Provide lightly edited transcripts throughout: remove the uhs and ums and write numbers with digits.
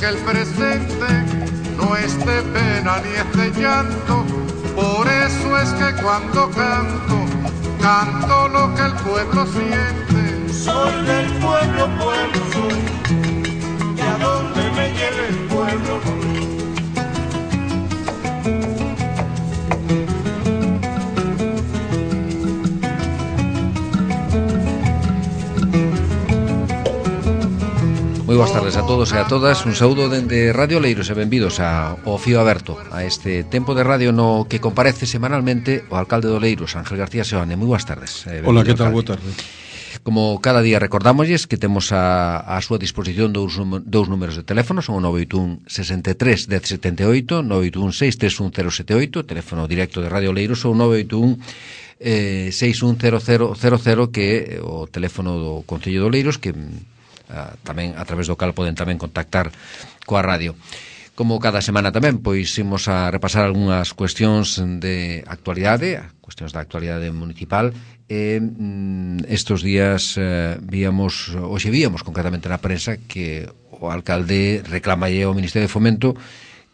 el presente no es de pena ni es de llanto. Por eso es que cuando canto, canto lo que el pueblo siente. Soy del pueblo, pueblo soy, y a donde me lleve el pueblo voy. Moi boas tardes a todos e a todas. Un saúdo dende Radio Oleiros e benvidos ao Fío Aberto, a este tempo de radio no que comparece semanalmente o alcalde de Oleiros, Ángel García Seoane. Moi boas tardes. Hola, que tal? Boa tarde. Como cada día recordámosles que temos a súa disposición dous números de teléfono, son o 981 63 1078, 981 631 078, teléfono directo de Radio Oleiros, ou 981 610000, que é o teléfono do Concello de Oleiros, que tamén a través do cal poden tamén contactar coa radio. Como cada semana tamén, pois imos a repasar algunhas cuestións de actualidade, cuestións da actualidade municipal, e estes días víamos concretamente na prensa que o alcalde reclamalle ao Ministerio de Fomento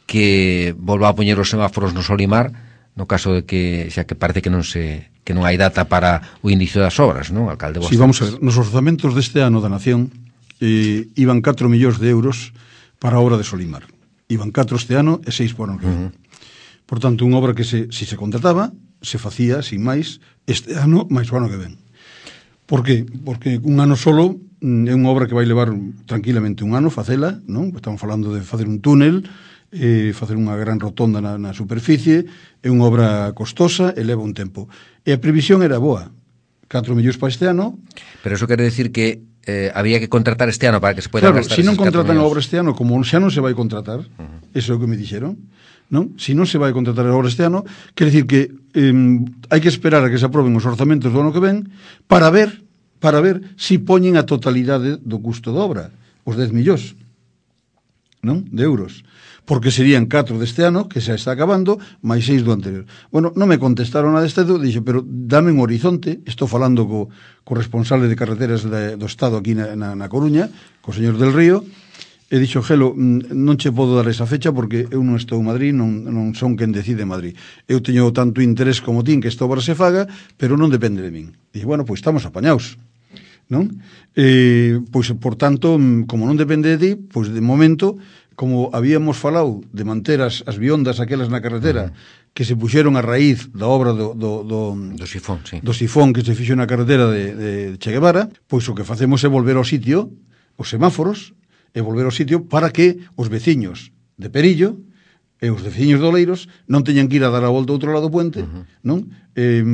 que volva a poñer os semáforos no Solimar, no caso de que, xa que parece que non hai data para o inicio das obras, non, alcalde? Sí, vamos a ver, nos orzamentos deste ano da Nación iban 4 millóns de euros para a obra de Solimar. Iban 4 este ano e 6 por ano que ven. Por tanto, unha obra que se contrataba, se facía, sin máis, este ano, máis o ano que ven. Por qué? Porque un ano solo é unha obra que vai levar tranquilamente un ano facela, non? Estamos falando de facer un túnel, facer unha gran rotonda na superficie, é unha obra costosa e leva un tempo. E a previsión era boa, 4 millóns para este ano. Pero eso quere decir que había que contratar este ano para que se poida gastar. Claro, se non contratan a obra este ano, como xa non se vai contratar, eso é o que me dixeron, non? Se non se vai contratar a obra este ano, quere decir que hai que esperar a que se aproben os orzamentos do ano que ven para ver se poñen a totalidade do custo da obra, os 10 millóns, non? De euros. Porque serían 4 deste ano, que xa está acabando, máis 6 do anterior. Bueno, non me contestaron a deste, dixo, pero dame un horizonte, estou falando co responsable de carreteras do Estado aquí na Coruña, co señor del Río, e dixo, Gelo, non che podo dar esa fecha porque eu non estou en Madrid, non son quen decide en Madrid. Eu teño tanto interés como tin que esta obra se faga, pero non depende de min. Dixo, bueno, pois estamos apañados, non? Pois, por tanto, como non depende de ti, pois de momento, como habíamos falado de manter as viondas aquelas na carretera que se puxeron a raíz da obra do sifón, sí. Do sifón que se fixo na carretera de Che Guevara, pois o que facemos é volver ao sitio, os semáforos, e volver ao sitio para que os veciños de Perillo e os veciños de Oleiros non teñan que ir a dar a volta ao outro lado do puente, non?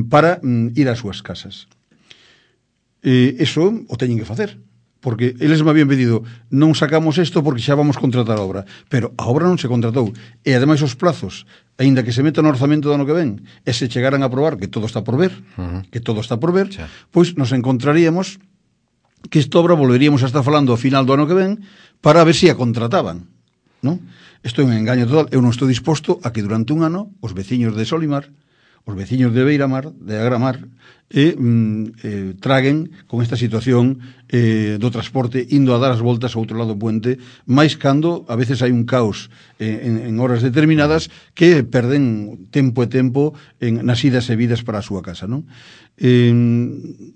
Para ir ás súas casas. Eso o teñen que facer, porque eles me habían pedido, non sacamos isto porque xa vamos contratar a obra, pero a obra non se contratou, e ademais os plazos, aínda que se meta no orzamento do ano que ven, e se chegaran a aprobar, que todo está por ver, pois nos encontraríamos que esta obra volveríamos a estar falando ao final do ano que ven para ver se a contrataban, non? Isto é un engaño total. Eu non estou disposto a que durante un ano os veciños de Solimar, os veciños de Beiramar, de Agramar, traguen con esta situación do transporte indo a dar as voltas ao outro lado do puente, máis cando a veces hai un caos en horas determinadas que perden tempo e tempo nas idas e vidas para a súa casa, non?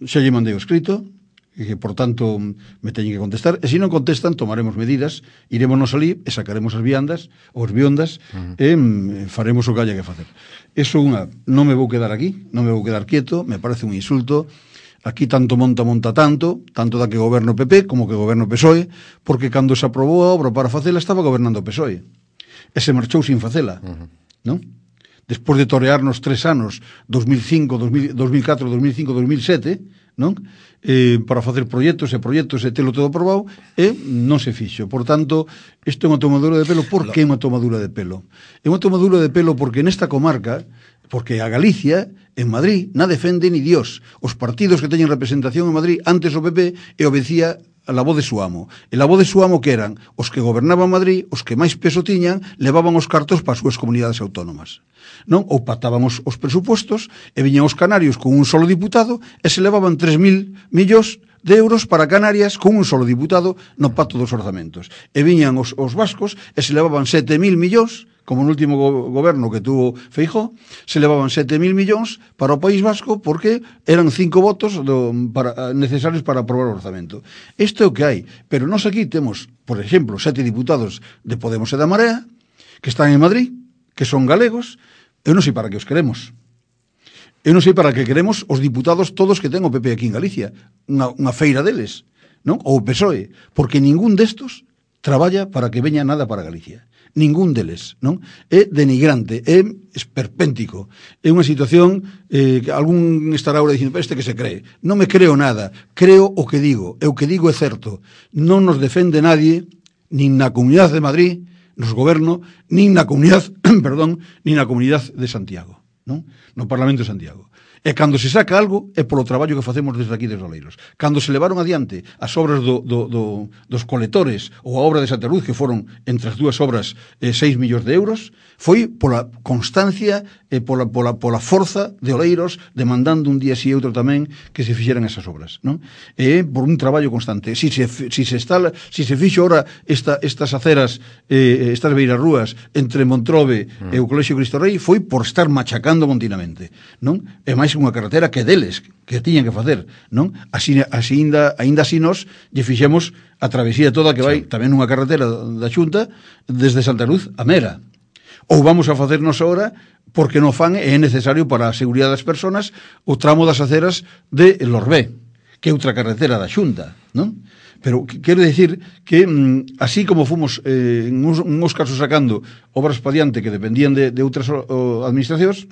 Xa lle mandei o escrito, que por tanto me teñen que contestar, e se non contestan tomaremos medidas, irémonos ali e sacaremos as viandas ou as biondas e faremos o que haya que facer. Eso non me vou quedar aquí, non me vou quedar quieto, me parece un insulto. Aquí tanto monta tanto da que goberno PP como que goberno PSOE, porque cando se aprobou a obra para facela estaba gobernando o PSOE e se marchou sin facela, non? Despois de torearnos 3 anos, 2004, 2005, 2007, non? Para facer proxectos e telo todo aprobado, e non se fixo. Por tanto, isto é unha tomadura de pelo. Por que é unha tomadura de pelo? É unha tomadura de pelo porque nesta comarca, porque a Galicia, en Madrid, na defende ni Dios. Os partidos que teñen representación en Madrid, antes o PP, e obedecía a la voz de su amo. E la voz de su amo que eran os que gobernaban Madrid, os que máis peso tiñan, levaban os cartos para as súas comunidades autónomas. Non? Ou pactaban os presupostos e viñan os canarios con un solo diputado e se levaban 3.000 millóns de euros para Canarias con un solo diputado no pacto dos orzamentos. E viñan os vascos e se levaban 7.000 millóns, como no último goberno que tuvo Feijóo, se levaban 7.000 millóns para o País Vasco porque eran 5 votos necesarios para aprobar o orzamento. Isto é o que hai, pero nós aquí temos, por exemplo, 7 diputados de Podemos e da Marea que están en Madrid, que son galegos. Eu non sei para que os queremos. Eu non sei para que queremos os diputados todos que ten o PP aquí en Galicia, unha feira deles, non? Ou o PSOE, porque ningún destos traballa para que veña nada para Galicia. Ningún deles, non? É denigrante, é esperpéntico. É unha situación que algún estará ahora dicindo, este que se cree. Non me creo nada, creo o que digo, e o que digo é certo. Non nos defende nadie, nin na Comunidade de Madrid, nos goberno, nin na comunidade, perdón, nin na Comunidade de Santiago, non? No Parlamento de Santiago. E cando se saca algo é polo traballo que facemos desde aquí desde Oleiros. Cando se levaron adiante as obras dos coletores ou a obra de Santa Luz, que foron entre as dúas obras 6 millóns de euros, foi pola constancia e pola forza de Oleiros demandando un día si e outro tamén que se fixeran esas obras, non? E por un traballo constante. Si se fixo ora estas aceras, estas beirarrúas entre Montrobe e o Colexio Cristo Rei, foi por estar machacando continuamente, non? E máis unha carretera que deles, que tiñan que facer, non? Aínda así nós lle fixemos a travesía toda que vai tamén nunha carretera da Xunta desde Santa Luz a Mera. Ou vamos a facernos ahora porque non fan e é necesario para a seguridade das persoas o tramo das aceras de Lorbé, que é outra carretera da Xunta, non? Pero quero dicir que así como fomos en uns casos sacando obras pa diante que dependían de outras administracións,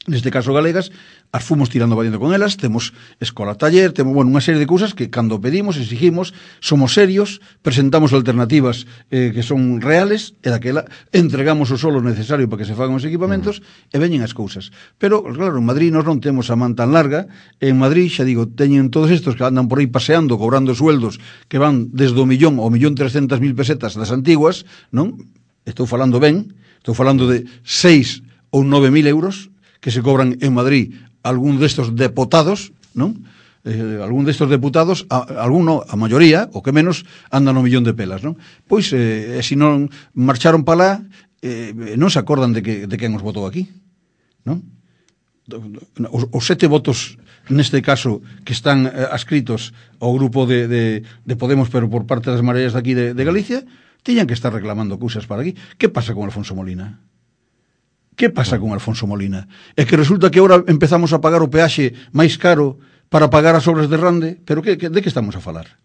neste caso galegas, as fomos tirando valiendo con elas, temos escola taller, temos, unha serie de cousas que cando pedimos, exigimos, somos serios, presentamos alternativas que son reales, e daquela entregamos o solo necesario para que se fagan os equipamentos, e veñen as cousas. Pero, claro, en Madrid nós non temos a man tan larga, en Madrid, xa digo, teñen todos estos que andan por aí paseando, cobrando sueldos que van desde o 1.000.000 ao 1.300.000 pesetas das antiguas, non? Estou falando ben, estou falando de 6 ou 9.000 euros, que se cobran en Madrid algún destos deputados, non? Algún destos deputados, a maioría, o que menos, andan no 1.000.000 de pelas, non? Pois, se non marcharon para lá, non se acordan de quen os votou aquí, non? Os 7 votos, neste caso, que están adscritos ao grupo de Podemos, pero por parte das mareas de aquí de Galicia, tiñan que estar reclamando cousas para aquí. Que pasa con Alfonso Molina? Que pasa con Alfonso Molina? É que resulta que agora empezamos a pagar o peaxe máis caro para pagar as obras de Rande, pero de que estamos a falar?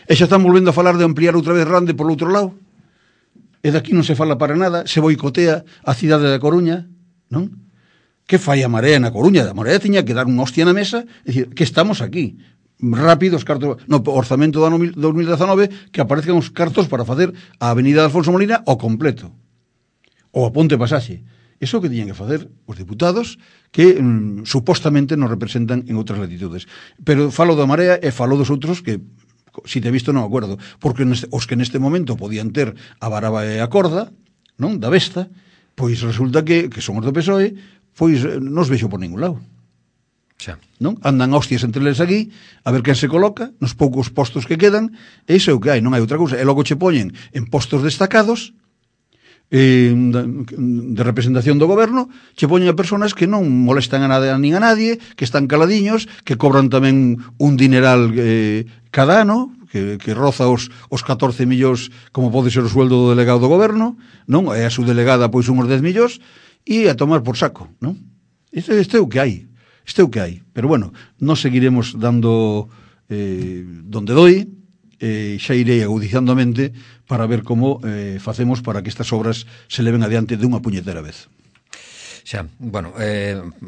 E xa están volvendo a falar de ampliar outra vez Rande por outro lado? E daqui non se fala para nada, se boicotea a cidade da Coruña, non? Que fai a Marea na Coruña? A Marea tiña que dar unha hostia na mesa, e dicir, que estamos aquí, rápido os cartos, no orzamento do ano 2019, que aparezcan os cartos para facer a avenida de Alfonso Molina ao completo, ou a Ponte Pasaxe. Iso que tiñan que facer os diputados que supostamente nos representan en outras latitudes. Pero falo da Marea e falo dos outros que, si te he visto, non acordo. Porque os que neste momento podían ter a varaba e a corda, non, da besta, pois resulta que son os do PSOE, pois non os vexo por ningún lado. Xa. Non? Andan hostias entre eles aquí, a ver quen se coloca, nos poucos postos que quedan, e iso é o que hai, non hai outra cousa. E logo che poñen en postos destacados, de representación do goberno, che poñen a personas que non molestan a nada nin a nadie, que están caladiños, que cobran tamén un dineral cada ano, que roza os 14 millóns, como pode ser o sueldo do delegado do goberno, non? E a subdelegada pois uns 10 millóns, e a tomar por saco, non? Isto é o que hai, pero bueno, nós seguiremos dando donde doi, xa irei agudizando a mente para ver como facemos para que estas obras se leven adiante dunha puñetera vez. Xa, bueno,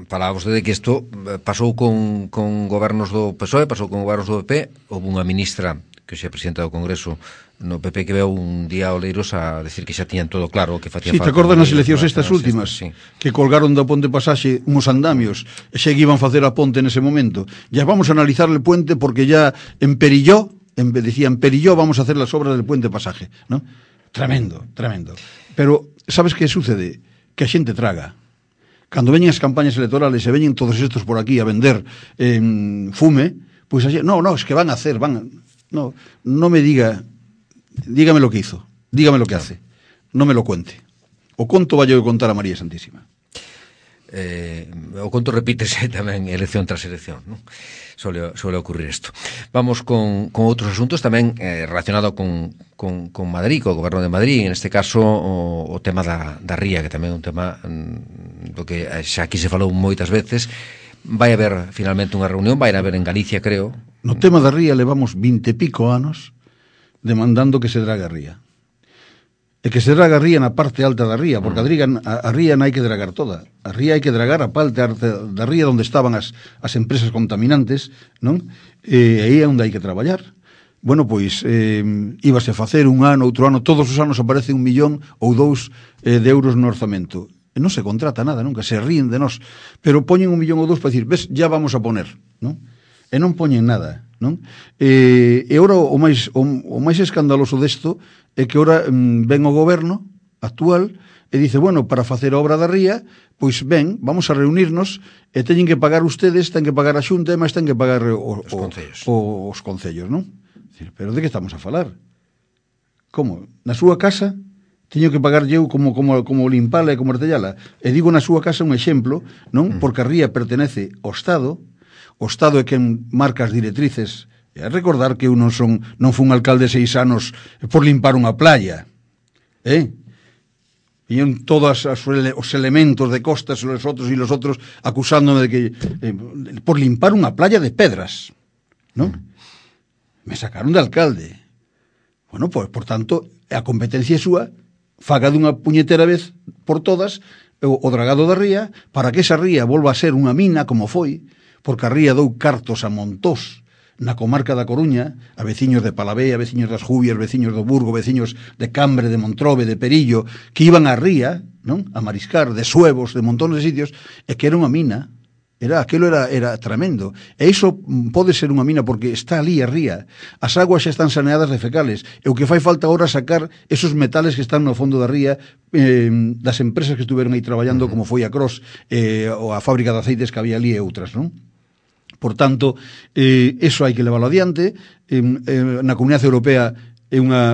falaba vostede que isto pasou con gobernos do PSOE, pasou con gobernos do PP, houve unha ministra que xa presidenta do Congreso no PP que veu un día a Oleiros a decir que xa tiñan todo claro que facía falta. Si, te acordas nas eleccións estas últimas, sí, que colgaron da Ponte Pasaxe uns andamios e xa iban facer a ponte nese momento. Ya vamos a analizar el puente porque ya emperilló, decían, perilló, vamos a hacer las obras del puente Pasaje, ¿no? Tremendo, tremendo. Pero, sabes que sucede? Que a xente traga. Cando veñen as campañas electorales e veñen todos estos por aquí a vender fume, Pois no, es que van a hacer, no me diga, dígame lo que hizo, dígame lo que hace, no me lo cuente. O conto vai a contar a María Santísima. O conto repítese tamén elección tras elección, non? Suele ocurrir isto. Vamos con outros asuntos tamén relacionado con Madrid, co goberno de Madrid, en este caso o tema da ría, que tamén é un tema do que xa aquí se falou moitas veces. Vai haber finalmente unha reunión, vai haber en Galicia, creo. No tema da ría levamos 20 e pico anos demandando que se draga a ría. E que se draga a ría na parte alta da ría, porque a ría non hai que dragar toda. A ría hai que dragar a parte alta da ría onde estaban as empresas contaminantes, non? E aí é onde hai que traballar. Bueno, pois, íbase a facer un ano, outro ano, todos os anos aparece 1 millón ou 2 de euros no orzamento. E non se contrata nada, nunca, se ríen de nós. Pero poñen 1 millón ou 2 para dicir, ves, ya vamos a poner, non? E non poñen nada, non? E ora o máis escandaloso desto é que ora ven o goberno actual e dice, bueno, para facer a obra da ría, pois ben, vamos a reunirnos e teñen que pagar ustedes, ten que pagar a Xunta e máis ten que pagar os concellos, non? Pero de que estamos a falar? Como? Na súa casa teño que pagar eu como limpala e como artellala? E digo na súa casa un exemplo, non? Porque a ría pertenece ao Estado, o Estado é quen marca as directrices. E a recordar que eu non fun alcalde 6 anos por limpar unha playa. Viñeron todos os elementos de costas e los outros acusándome de que por limpar unha playa de pedras, non? Me sacaron de alcalde. Bueno, pois, por tanto, a competencia é súa, faga dunha puñetera vez por todas o dragado da ría, para que esa ría volva a ser unha mina como foi, porque a ría dou cartos a montós na comarca da Coruña, a veciños de Palavea, veciños das Jubias, veciños do Burgo, veciños de Cambre, de Montrobe, de Perillo, que iban á ría, non? A mariscar, de Suevos, de montones de sitios, e que era unha mina. Aquilo era tremendo. E iso pode ser unha mina porque está ali a ría. As aguas xa están saneadas de fecales. E o que fai falta agora sacar esos metales que están no fondo da ría das empresas que estuveron aí traballando, como foi a Cros, ou a fábrica de aceites que había ali e outras, non? Por tanto, eso hai que leválo adiante. Na Comunidade Europea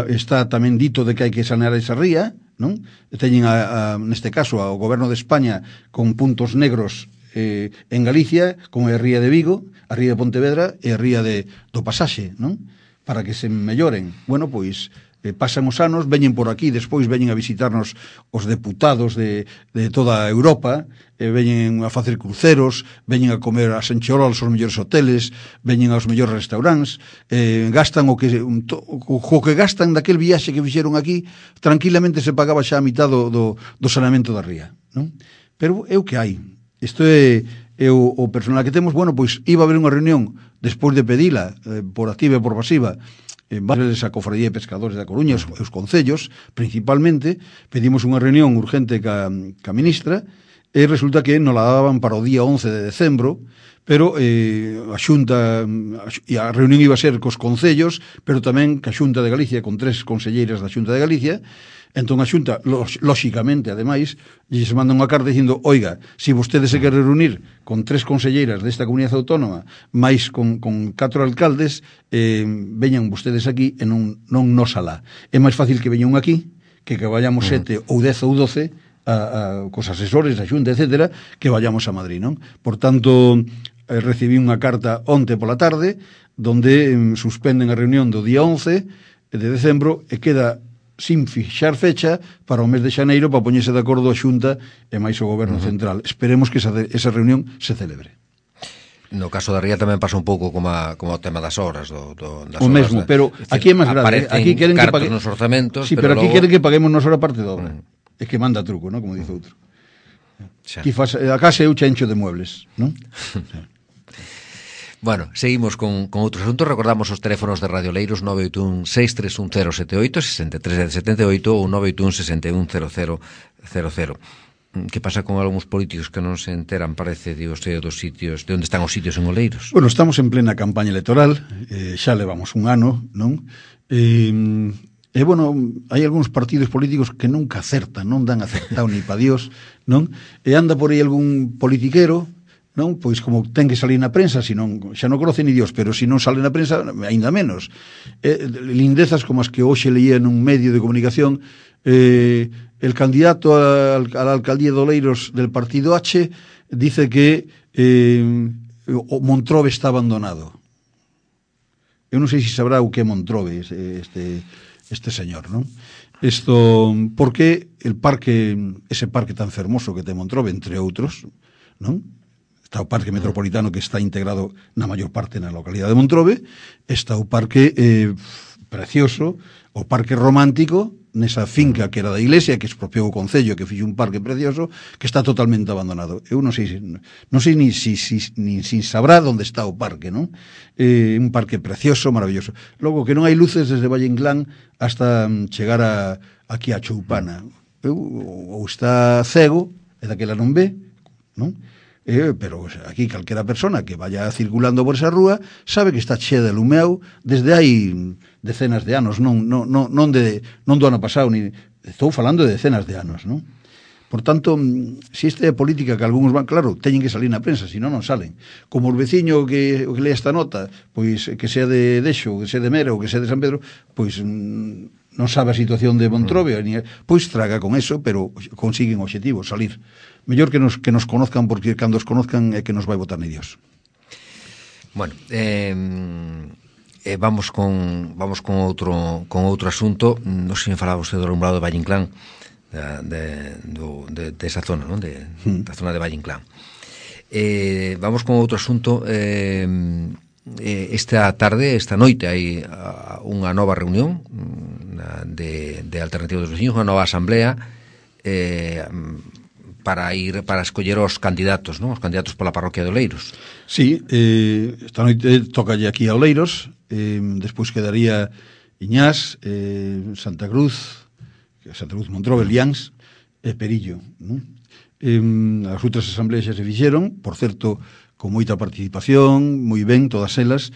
está tamén dito de que hai que sanear esa ría, non? Teñen, neste caso, ao goberno de España con puntos negros en Galicia, como é a ría de Vigo, a ría de Pontevedra e a ría do Pasaxe, non? Para que se melloren. Bueno, pois, pasan os anos, veñen por aquí, despois veñen a visitarnos os deputados de toda Europa, veñen a facer cruceros, veñen a comer a Sancherols aos mellores hoteles, veñen aos mellores restaurantes, gastan o que gastan daquel viaxe que fixeron aquí, tranquilamente se pagaba xa a mitad do saneamento da ría, non? Pero é o que hai. Isto é o personal que temos. Bueno, pois iba a haber unha reunión despois de pedila por activa e por pasiva, a Cofradía de Pescadores da Coruña, os concellos, principalmente. Pedimos unha reunión urgente ca ministra e resulta que nos la daban para o día 11 de decembro, pero a Xunta, e a reunión iba a ser cos concellos, pero tamén ca Xunta de Galicia, con 3 conselleiras da Xunta de Galicia. Entón a Xunta, lóxicamente, ademais, lles manda unha carta dicindo, oiga, se vostedes se queren reunir con 3 conselleiras desta comunidade autónoma, máis con 4 alcaldes, veñan vostedes aquí e non nos alá. É máis fácil que veñan aquí, que vayamos 7 ou 10 ou 12 cos asesores da Xunta, etcétera, que vayamos a Madrid, non? Por tanto, recibí unha carta onte pola tarde, donde suspenden a reunión do día 11 de decembro e queda sin fixar fecha para o mes de xaneiro para poñerse de acordo a Xunta e máis o Goberno Central. Esperemos que esa reunión se celebre. No caso da ría tamén pasa un pouco como o tema das obras das o mesmo, pero aquí é máis grave. Aquí queren que paguemos nos orzamentos, sí, pero aquí queren que paguemos nos hora parte de obra. É que manda truco, ¿no? Como dice outro. Aquí a casa eu chencho de muebles, ¿no? Bueno, seguimos con outros asuntos. Recordamos os teléfonos de Radio Leiros 981-631078, 63 78 ou 981-610000. Que pasa con algúns políticos que non se enteran, parece, dos sitios, de onde están os sitios en Oleiros? Bueno, estamos en plena campaña electoral, xa levamos un ano, non? E, bueno, hai algúns partidos políticos que nunca acertan, non dan acertado ni pa Dios, non? E anda por aí algún politiquero non? Pois como ten que salir na prensa, senón, xa non conoce ni Dios, pero se non sale na prensa, aínda menos. Lindezas como as que hoxe leía nun medio de comunicación, el candidato a la alcaldía de Oleiros del partido H dice que Montrobe está abandonado. Eu non sei se sabrá o que é Montrobe este señor, non? Porque ese parque tan fermoso que ten Montrobe, entre outros, non? Está o parque metropolitano que está integrado na maior parte na localidade de Montrobe, está o parque precioso, o parque romántico, nesa finca que era da iglesia, que expropiou o concello, que fixo un parque precioso, que está totalmente abandonado. Eu non sei nin sabrá onde está o parque, non? Un parque precioso, maravilloso. Logo, que non hai luces desde Valle Inclán hasta chegar aquí a Choupana. Ou está cego, e daquela non ve, non? Pero aquí calquera persona que vaya circulando por esa rúa sabe que está chea de lumeau desde hai decenas de anos, non do ano pasado, estou falando de decenas de anos, non? Por tanto, se esta é a política que algúns van, claro, teñen que salir na prensa, senón non salen. Como o veciño que lea esta nota, pois que sea de Dexo, que sea de Mera ou que sea de San Pedro, pois non sabe a situación de Montrobe, pois traga con eso, pero consiguen o obxectivo, salir. Mellor que nos conozcan, porque cando os conozcan é que nos vai votar ni Dios. Bueno, vamos con outro asunto. Non sei se falaba usted do alumbrado de Valle Inclán, de esa zona, non? Da zona de Valle Inclán. Vamos con outro asunto. Esta noite hai unha nova reunión de Alternativa dos Veciños, unha nova asamblea para escoller os candidatos, non? Os candidatos pola parroquia de Oleiros. Sí, esta noite tocalle aquí a Oleiros, despois quedaría Iñás, Santa Cruz, Montrobe, Liáns e Perillo, non? As outras asambleas xa se fixeron, por certo, con moita participación, moi ben, todas elas,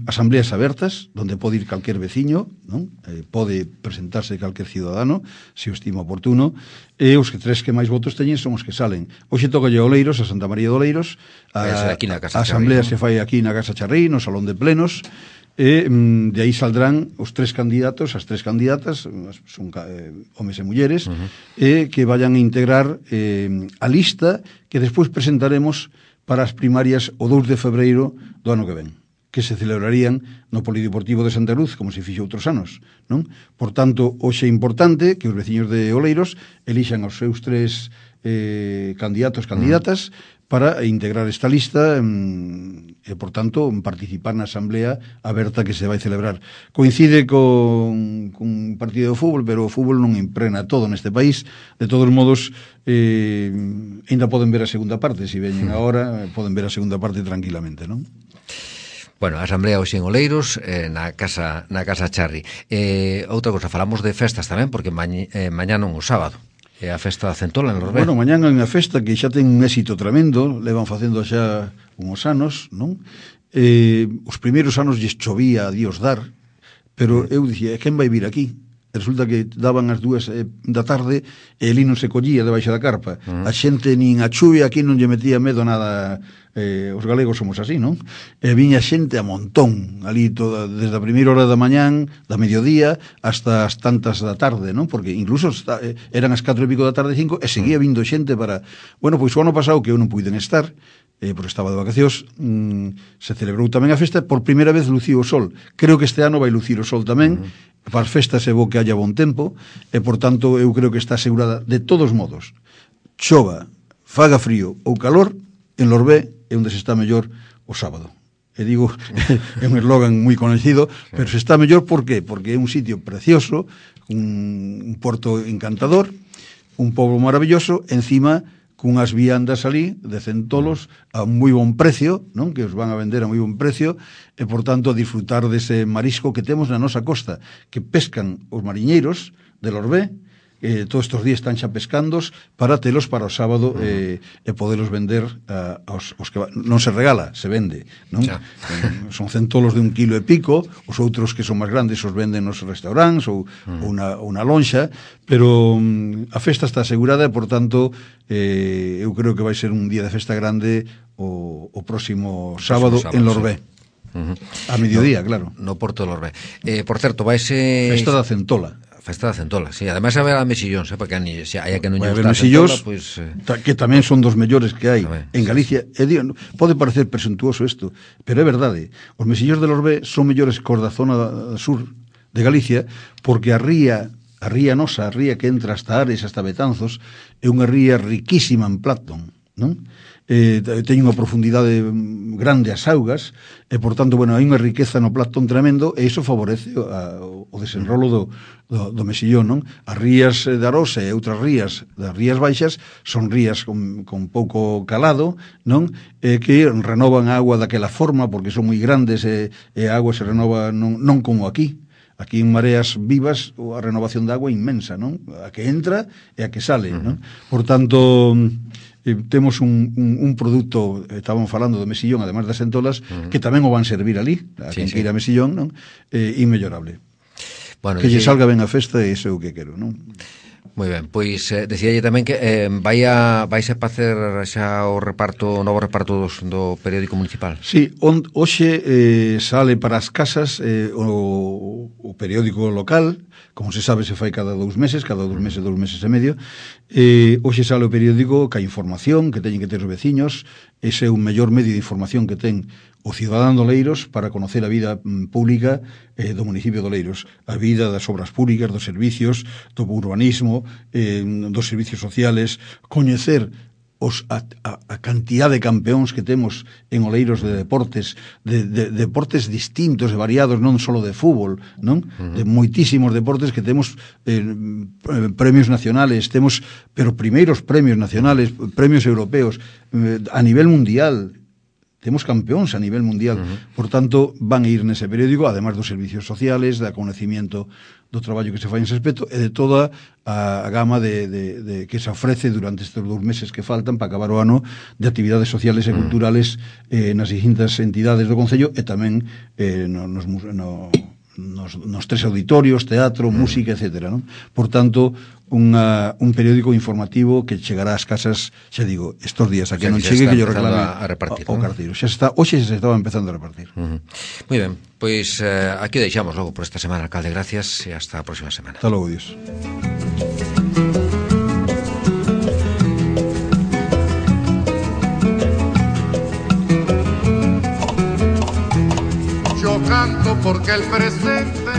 asambleas abertas, onde pode ir calquer veciño, non? Pode presentarse calquer cidadano, se o estima oportuno, e os tres que máis votos teñen son os que salen. Hoxe toca a Oleiros, a Santa María de Oleiros, a asamblea se fai aquí na Casa Charrí, no Salón de Plenos, e de aí saldrán os tres candidatos, as tres candidatas, son homes e mulleres, e que vayan a integrar a lista que despois presentaremos para as primarias o 2 de febreiro do ano que ven, que se celebrarían no Polideportivo de Santa Cruz, como se fixo outros anos, non? Por tanto, hoxe é importante que os veciños de Oleiros elixan os seus tres candidatas para integrar esta lista e, por tanto, participar na asamblea aberta que se vai celebrar. Coincide con un partido de fútbol, pero o fútbol non impregna todo neste país. De todos modos, ainda poden ver a segunda parte. Se veñen agora, poden ver a segunda parte tranquilamente, non? Bueno, a asamblea hoxe en Oleiros, na casa Charri. Outra cosa, falamos de festas tamén, porque mañá non o sábado. É a festa da Centola en Lorbé. Bueno, mañán é unha festa que xa ten un éxito tremendo, levan facendo xa uns anos, non? Os primeiros anos lles chovía a Dios dar, pero eu dicía, quen vai vir aquí? Resulta que daban as 2 da tarde e ali non se collía debaixo da carpa. A xente nin a chuvia aquí non lle metía medo nada. Os galegos somos así, non? E viña xente a montón ali toda, desde a primeira hora da mañán, da mediodía, hasta as tantas da tarde, non? Porque incluso eran as 4 e pico da tarde, 5, e seguía vindo xente para... Bueno, pois o ano pasado que eu non puiden estar, porque estaba de vacacións, se celebrou tamén a festa, por primeira vez luciu o sol. Creo que este ano vai lucir o sol tamén, para as festas é bo que haya bon tempo, e por tanto eu creo que está asegurada de todos modos. Chova, faga frío ou calor, en Lorbé é onde se está mellor o sábado. E digo, é un eslogan moi conocido, pero se está mellor, por qué? Porque é un sitio precioso, un porto encantador, un pobo maravilloso, encima cunhas viandas ali de centolos a moi bon precio, non? Que os van a vender a moi bon precio, e por tanto disfrutar dese marisco que temos na nosa costa, que pescan os mariñeiros de Lorbé, todos estes días están xa pescandos para telos para o sábado e podelos vender aos que non se regala, se vende, non? Son centolos de 1 kilo e pico, os outros que son máis grandes os venden nos restaurantes ou unha lonxa, pero a festa está asegurada e, por tanto, eu creo que vai ser un día de festa grande o próximo sábado en Lorbé. A mediodía, claro. No Porto de Lorbé. Por certo, vaise... Festa da Centola. Festa da Centola, sí. Además, haberá mesillóns, porque se hai que non lle Vai gusta haber a mesillóns, Centola, que tamén son dos mellores que hai tamén, en Galicia. Pode parecer presuntuoso isto, pero é verdade. Os mesillóns de Lorbé son mellores cos da zona sur de Galicia, porque a ría nosa, a ría que entra hasta Ares, hasta Betanzos, é unha ría riquísima en plancton, non? Teñen unha profundidade grande as augas e, por tanto, bueno, hai unha riqueza no plancton tremendo e iso favorece o desenrolo do mesillón, non? As rías de Arosa e outras rías das rías baixas son rías con pouco calado, non? Que renovan a agua daquela forma porque son moi grandes e a agua se renova non como aquí. Aquí en Mareas Vivas a renovación de agua é inmensa, non? A que entra e a que sale, non? Por tanto, temos un produto, estábamos falando do mesillón, además das centolas, que tamén o van servir ali, a quen queira mesillón, non? Inmellorable. Bueno, que lle salga ben a festa e iso é o que quero, non? Moi ben, pois decíalle tamén que vaise a facer xa o novo reparto do periódico municipal. Sí, hoxe sale para as casas o periódico local, como se sabe se fai cada 2 meses e medio. Hoxe sale o periódico ca información que teñen que ter os veciños. Ese é o mellor medio de información que ten o cidadán de Oleiros para conocer a vida pública do municipio de Oleiros, a vida das obras públicas, dos servicios, do urbanismo, dos servicios sociales, coñecer a cantidad de campeóns que temos en Oleiros de deportes, de deportes distintos e variados, non só de fútbol, non? De moitísimos deportes que temos premios nacionales, pero primeiros premios nacionales, premios europeos, a nivel mundial. Temos campeóns a nivel mundial. Por tanto, van a ir nese periódico, además dos servicios sociales, da conocimiento do traballo que se fai en ese aspecto e de toda a gama de que se ofrece durante estes 2 meses que faltan para acabar o ano de actividades sociales e culturales nas distintas entidades do Concello e tamén nos 3 auditorios, teatro, música, etc. Non? Por tanto, un periódico informativo que chegará ás casas, xa digo, estos días, a que non chegue que yo reclame a repartir, o carteiro. Hoxe se estaba empezando a repartir. Moi ben, pois aquí o deixamos logo por esta semana, alcalde, gracias e hasta a próxima semana. Hasta logo, Dios. Yo canto porque el presente